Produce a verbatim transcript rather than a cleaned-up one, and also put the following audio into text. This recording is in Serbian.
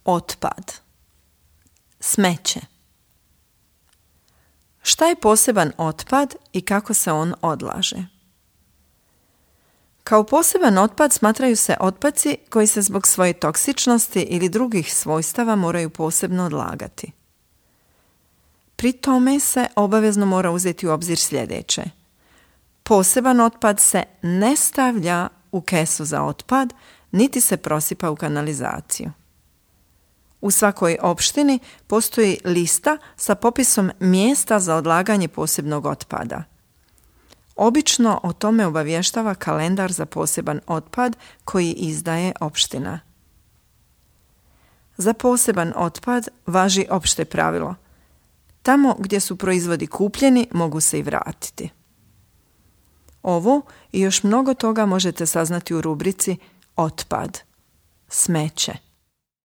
otpad, smeće. Šta je poseban otpad i kako se on odlaže? Kao poseban otpad smatraju se otpaci koji se zbog svoje toksičnosti ili drugih svojstava moraju posebno odlagati. Pri tome se obavezno mora uzeti u obzir sljedeće. Poseban otpad se ne stavlja u kesu za otpad, niti se prosipa u kanalizaciju. U svakoj opštini postoji lista sa popisom mjesta za odlaganje posebnog otpada. Obično o tome obavještava kalendar za poseban otpad koji izdaje opština. Za poseban otpad važi opšte pravilo. Tamo gdje su proizvodi kupljeni mogu se i vratiti. Ovo i još mnogo toga možete saznati u rubrici Otpad, smeće.